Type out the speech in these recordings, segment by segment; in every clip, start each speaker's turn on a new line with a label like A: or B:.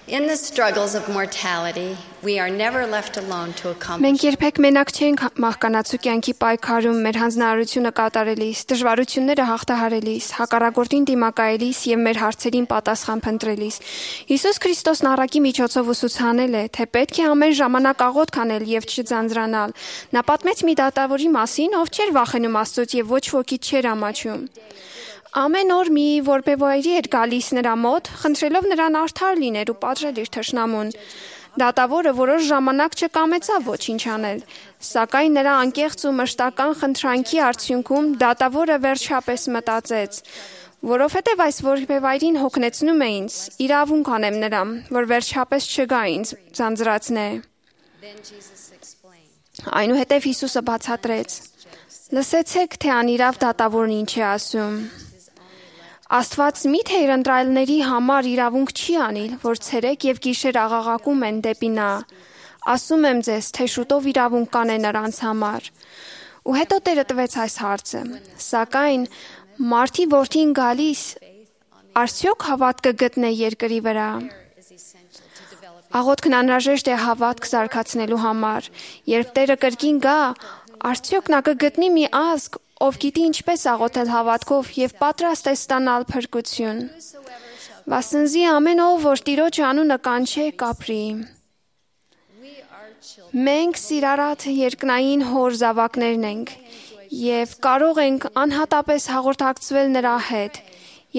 A: In the struggles of mortality, we are never left alone to accomplish.
B: Մենք երբեք մենակ չենք մահկանացու կյանքի պայքարում մեր հանձնարարությունը կատարելիս, դժվարությունները հաղթահարելիս, հակառակորդին դիմակայելիս եւ մեր հարցերին պատասխան փնտրելիս։ Հիսուս Քրիստոսն առակի միջոցով ուսուցանել է, թե պետք է ամեն ժամանակ աղոթք անել եւ չձանձրանալ։ Նա պատմեց մի դատավորի մասին, ով չէր վախենում Աստծուց եւ ոչ ոքի չէր ամաչում։ Ամեն օր մի որբևայրի էր գալիս նրա մոտ, խնդրելով նրան արդար լինել ու պատժել իր թշնամուն։ Դատավորը որոշ ժամանակ չկամեցավ ոչինչ անել, սակայն նրա անկեղծ ու մշտական խնդրանքի արդյունքում դատավորը վերջապես մտածեց, որովհետև այս որբևայրին հոգնեցնում է ինձ, իրավունք անեմ նրան, որ վերջապես չգա ինձ ձանձրացնե։ Այնուհետև Հիսուսը բացատրեց. Լսեցեք, թե անիրավ դատավորն ինչ է ասում։ Աստված միթե իր ընտրայելների համար իրավունք չի անիլ, որ ցերեկ եւ գիշեր աղաղակում են դեպի նա։ Ասում եմ ձեզ, թե շուտով իրավունք կանե նրանց համար։ Ու հետո Տերը տվեց այս հարցը. Սակայն մարդի որդին գալիս, արդյոք հավատ կգտնե երկրի վրա։ Աղոթքն անհրաժեշտ է հավատք զարգացնելու համար։ Երբ Տերը կրկին գա, արդյոք նա կգտնի մի ազգ, ով գիտի ինչպես աղոթել հավատքով եւ պատրաստ է ստանալ փրկություն։ Վասնզի ամեն ով, որ Տիրոջ անունը կանչե, կապրի։ Մենք սիրառատ երկնային հոր զավակներն ենք եւ կարող ենք անհատապես հաղորդակցվել նրա հետ,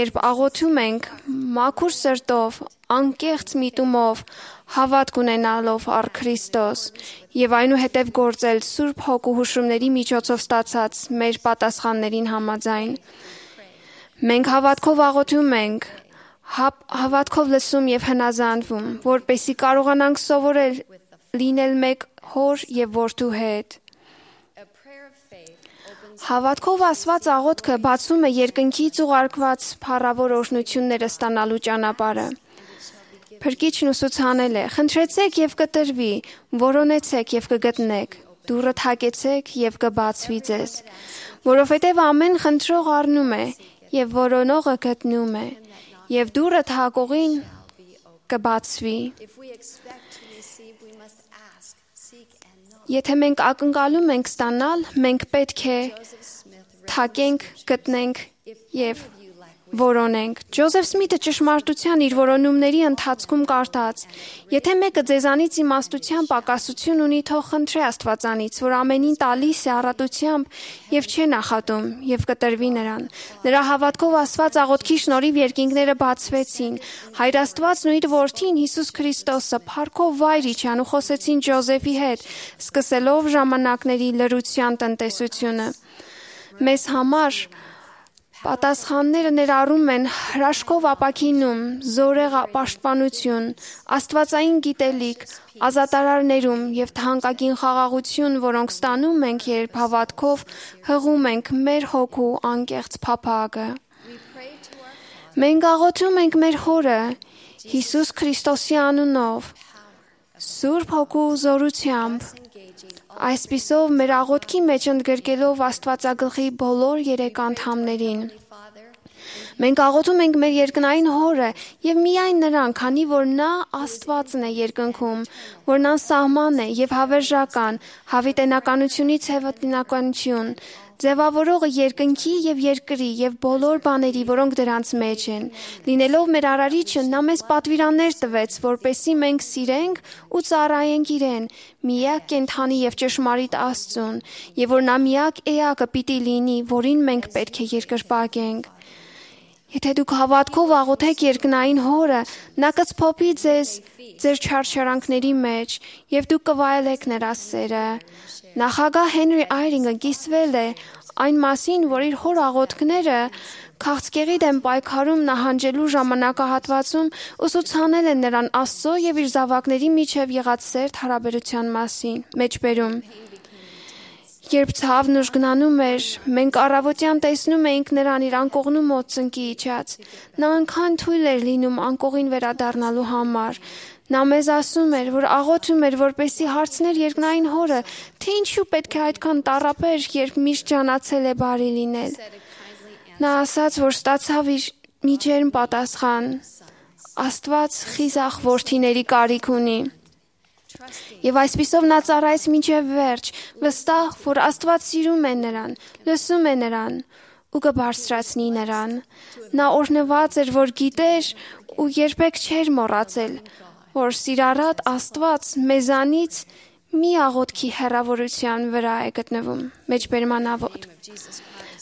B: երբ աղոթում ենք մաքուր սրտով, անկեղծ միտումով, հավատք ունենալով առ Քրիստոս եւ այնուհետև գործել Սուրբ Հոգու հուշումների միջոցով ստացած մեր պատասխաններին համաձայն։ Մենք հավատքով աղոթում ենք, հավատքով լսում եւ հնազանդվում, որպեսզի կարողանանք սովորել լինել մեկ հոր եւ որդու հետ։ Հավատքով ասված աղոթքը բացում է երկնքից ուղարկված փառավոր օրհնությունները ստանալու ճանապարհը։ Փրկիչն ուսուցանել է. խնդրեցեք եւ կտրվի, որոնեցեք եւ կգտնեք, դուռը թակեցեք եւ կբացվի ձեզ, որովհետեւ ամեն խնդրող առնում է եւ որոնողը գտնում է, եւ դուռը թակողին կբացվի։ Եթե մենք ակնկալում ենք ստանալ, մենք պետք է թակենք, գտնենք եւ որոնենք։ Ջոզեֆ Սմիթը ճշմարտության իր որոնումների ընթացքում կարդաց. Եթե մեկը ձեզանից իմաստության պակասություն ունի, թող խնդրե Աստվածանից, որ ամենին տալիս է առատությամբ եւ չէ նախատում, եւ կտրվի նրան։ Նրա հավատքով ասված աղոթքի շնորհիվ երկինքները բացվեցին։ Հայր Աստվածն ու իր որդին Հիսուս Քրիստոսը փառքով վայր իջան ու խոսեցին Ջոզեֆի հետ, սկսելով ժամանակների լրության տնտեսությունը։ Մեզ համար պատասխանները ներառում են հրաշքով ապաքինում, զորեղ պաշտպանություն, աստվածային գիտելիք, ազատարարներում եւ թանկագին խաղաղություն, որոնք ստանում ենք, երբ հավատքով հղում ենք մեր հոգու անկեղծ փափագը։ Մենք աղոթում ենք մեր Հորը, Հիսուս Քրիստոսի անունով, Սուրբ Հոգու զորությամբ։ Այսպիսով մեր աղոթքի մեջ ընդգրկելով Աստվածագլխի բոլոր երեք անդամներին։ Մենք աղոթում ենք մեր երկնային Հորը եւ միայն նրան, քանի որ նա Աստվածն է երկնքում, որն անսահման է եւ հավերժական, հավիտենականությունից հավիտենականություն, ձևավորողը երկնքի եւ երկրի եւ բոլոր բաների, որոնք դրանց մեջ են։ Լինելով մեր արարիչը, նա մեզ պատվիրաններ տվեց, որպեսզի մենք սիրենք ու ծառայենք իրեն, միակ կենդանի եւ ճշմարիտ Աստծուն, եւ որ նա միակ էակը պիտի լինի, որին մենք պետք է երկրպագենք։ Եթե դուք հավատքով աղոթեք երկնային Հորը, նա կցփոփի ձեզ ձեր չարչարանքների մեջ եւ դուք կվայելեք նրա սերը։ Նախագահ Հենրի Այրինգը կիսվել է այն մասին, որ իր հոր աղոթքները քաղցկեղի դեմ պայքարում նահանջելու ժամանակահատվածում ուսուցանել են նրան Աստծո եւ իր զավակների միջև եղած սերտ հարաբերության մասին, մեջբերում։ Երբ ցավն ուժգնանում էր, մենք առավոտյան տեսնում էինք նրան իր անկողնու մոտ ծնկի իջած։ Նա անգամ թույլ էր լինում անկողին վերադառնալու համար։ Նա մեզ ասում էր, որ աղոթում էր, որպեսզի հարցներ երկնային Հորը, թե ինչու պետք է այդքան տառապեր, երբ միշտ ջանացել է բարի լինել։ Նա ասաց, որ ստացավ իր մի ջերմ պատասխան. Աստված խիզախ որդիների կարիք ունի։ Եվ այսպիսով նա ծառայեց մինչև վերջ, վստահ, որ Աստված սիրում է նրան, լսում է նրան ու կբարձրացնի նրան։ Նա օրհնված էր, որ գիտեր ու երբեք չէր մոռացել, որ սիրառատ Աստված մեզանից մի աղոթքի հեռավորության վրա է գտնվում։ Մեջբերման աղոթք։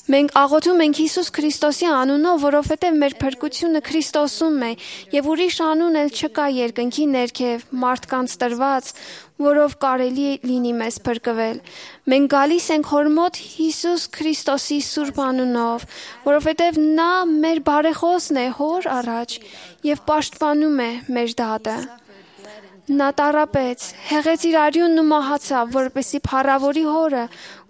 B: Մենք աղոթում ենք Հիսուս Քրիստոսի անունով, որովհետև մեր փրկությունը Քրիստոսում է, եւ ուրիշ անուն էլ չկա երկնքի ներքև մարդկանց տրված, որով կարելի լինի մեզ փրկվել։ Մենք գալիս ենք Հոր մոտ Հիսուս Քրիստոսի սուրբ անունով, որովհետև նա մեր բարեխոսն է Հոր առաջ եւ պաշտպանում է մեր դատը։ Նա տառապեց, հեղեց իր արյունն ու մահացավ, որպեսզի փառավորի Հորը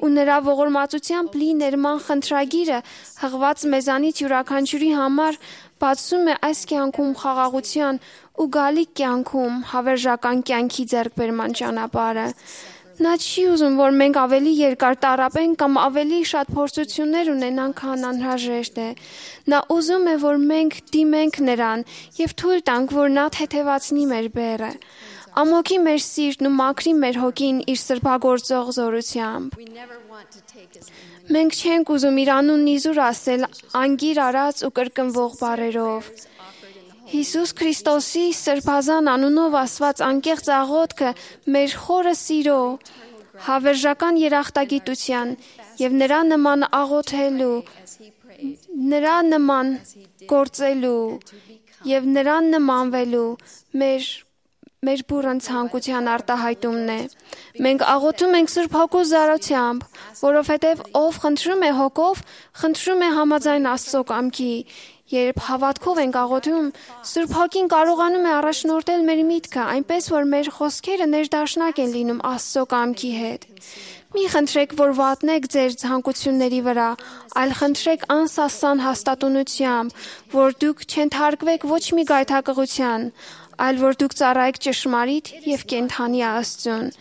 B: ու նրա ողորմածությամբ լի ներման խնդրագիրը հղված մեզանից յուրաքանչյուրի համար բացում է այս կյանքում խաղաղության ու գալիք կյանքում հավերժական կյանքի ձեռքբերման ճանապարհը։ Նա չի ուզում, որ մենք ավելի երկար տառապենք կամ ավելի շատ փորձություններ ունենանք, քան անհրաժեշտ է։ Նա ուզում է, որ մենք դիմենք նրան եւ թույլ տանք, որ նա թեթևացնի մեր բեռը, ամոքի մեր սիրտն ու մաքրի մեր հոգին իր սրբագործող զորությամբ։ Մենք չենք ուզում իր անունն իզուր ասել անգիր արած ու կրկնվող բառերով։ Հիսուս Քրիստոսի սրբազան անունով ասված անկեղծ աղոթքը մեր խորը սիրո, հավերժական երախտագիտության եւ նրա նման աղոթելու, նրա նման գործելու եւ նրան նմանվելու մեր բուրըն ցանկության արտահայտումն է։ Մենք աղոթում ենք Սուրբ Հոգու զորությամբ, որովհետև ով խնդրում է Հոգով, խնդրում է համաձայն Աստծո կամքի։ Երբ հավատքով ենք աղոթում, Սուրբ Հոգին կարողանում է առաջնորդել մեր միտքը, այնպես որ մեր խոսքերը ներդաշնակ են լինում Աստծո կամքի հետ։ Մի խնդրեք, որ վատնեք ձեր ցանկությունների վրա, այլ խնդրեք անսասան հաստատունությամբ, որ դուք չենթարկվեք ոչ մի գայթակղության, այլ որ դուք ծառայեք ճշմարիտ եւ կենդանի Աստծուն։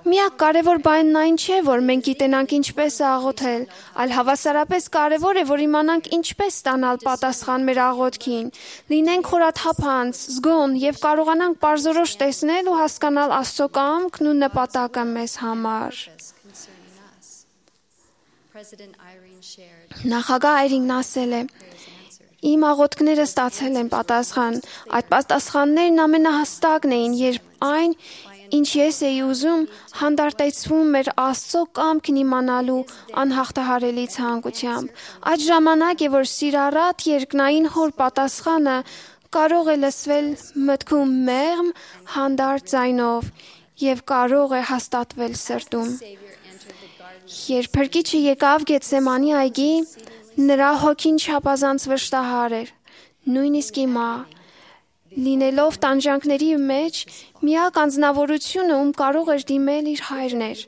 B: Միակ կարևոր բանն այն չէ, որ մենք գիտենանք ինչպես աղոթել, այլ հավասարապես կարևոր է, որ իմանանք ինչպես ստանալ պատասխան մեր աղոթքին, լինենք խորաթափանց, զգոն եւ կարողանանք պարզորոշ տեսնել ու հասկանալ Աստծո կամքն ու նպատակը մեզ համար։ Նախագահ Այրինգն ասել է. Իմ աղոթքները ստացել են պատասխան։ Այդ պատասխաններն ամենահստակն էին, երբ այն, ինչ ես էի ուզում, հանդարտեցվում էր Աստծո կամքն իմանալու անհաղթահարելի ցանկությամբ։ Այդ ժամանակ է, որ սիրառատ երկնային Հոր պատասխանը կարող է լսվել մտքում մեղմ, հանդարտ ձայնով եւ կարող է հաստատվել սրտում։ Երբ Փրկիչը եկավ Գեթսեմանի այգի, նրա հոգին չափազանց վշտահար էր, նույնիսկ հիմա, լինելով տանջանքների մեջ, միակ անձնավորությունը, ում կարող էր դիմել իր հայրն էր։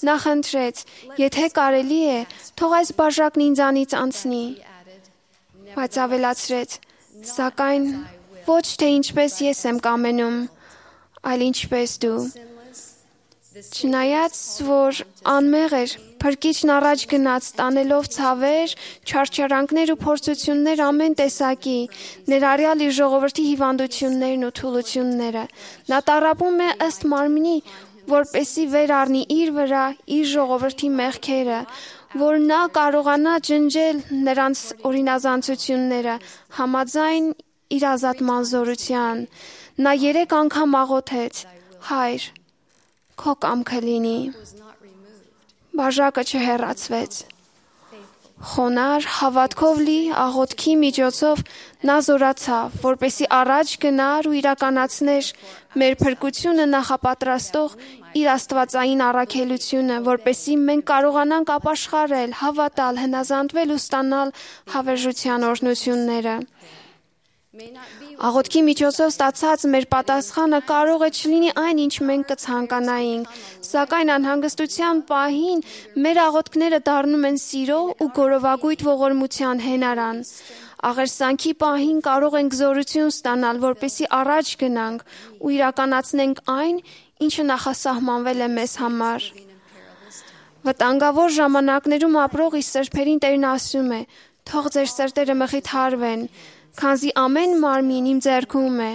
B: Նա խնդրեց. եթե կարելի է, թող այս բաժակն ինձանից անցնի։ Բայց ավելացրեց. սակայն ոչ թե ինչպես ես եմ կամենում, այլ ինչպես դու։ Չնայած, որ անմեղ էր, Փրկիչն առաջ գնաց, տանելով ցավեր, չարչարանքներ ու փորձություններ ամեն տեսակի, ներառյալ իր ժողովրդի հիվանդություններն ու թուլությունները։ Նա տառապում է ըստ մարմնի, որպեսզի վեր առնի իր վրա իր ժողովրդի մեղքերը, որ նա կարողանա ջնջել նրանց օրինազանցությունները, համաձայն իր ազատման զորության։ Նա 3 անգամ աղոթեց. Հայր, քո կամքը լինի։ Բաժակը չհեռացվեց։ Խոնար, հավատքով լի աղոթքի միջոցով նա զորացավ, որպեսզի առաջ գնար ու իրականացներ մեր փրկությունը նախապատրաստող իր աստվածային առաքելությունը, որպեսզի մենք կարողանանք ապաշխարել, հավատալ, հնազանդվել ու ստանալ հավերժության օրհնությունները։ Աղոթքի միջոցով ստացած մեր պատասխանը կարող է չլինի այն, ինչ մենք կցանկանայինք, սակայն անհանգստության պահին մեր աղոթքները դառնում են սիրո ու գորովագույթ ողորմության հենարան։ Աղերսանքի պահին կարող ենք զորություն ստանալ, որպեսզի առաջ գնանք ու իրականացնենք այն, ինչը նախասահմանվել է մեզ համար։ Վտանգավոր ժամանակներում ապրող իր սրբերին Տերն ասում է. թող ձեր սրտերը մխիթարվեն, Քանզի ամեն մարմին իմ ձեռքում է,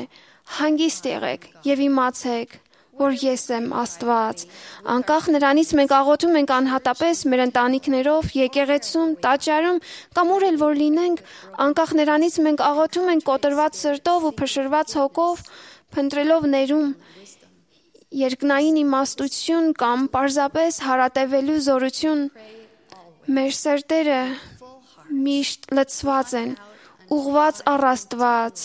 B: հանգիստ եղեք եւ իմացեք, որ ես եմ Աստված։ Անկախ նրանից մենք աղոթում ենք անհատապես մեր ընտանիքներով, եկեղեցում, տաճարում կամ ուր էլ որ լինենք, անկախ նրանից մենք աղոթում ենք կոտրված սրտով ու փշրված հոգով, փնտրելով ներում, երկնային իմաստություն կամ պարզապես հարատևելու զորություն, մեր սրտերը միշտ լցված են, ուղղված առ Աստված,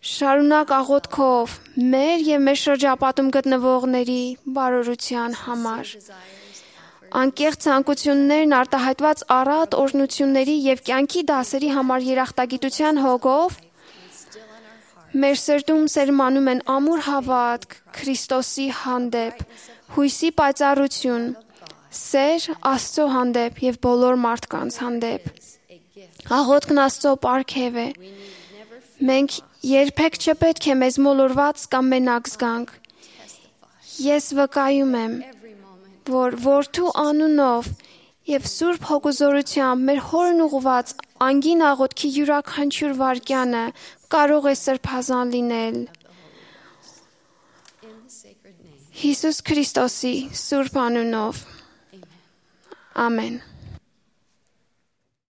B: շարունակ աղոթքով մեր եւ մեր շրջապատում գտնվողների բարօրության համար։ Անկեղծ ցանկություններն արտահայտված առատ օրհնությունների եւ կյանքի դասերի համար երախտագիտության հոգով մեր սրտում սերմանում են ամուր հավատք Քրիստոսի հանդեպ, հույսի պայծառություն, սեր Աստծո հանդեպ եւ բոլոր մարդկանց հանդեպ։ Աղոթքն Աստծո պարգև է։ Մենք երբեք չպետք է մեզ մոլորված կամ մենակ զգանք։ Ես վկայում եմ, որ Որդու անունով եւ Սուրբ Հոգուզորությամբ մեր Հորն ուղված անգին աղոթքի յուրաքանչյուր վայրկյանը կարող է սրբազան լինել։ Հիսուս Քրիստոսի Սուրբ անունով։ Ամեն։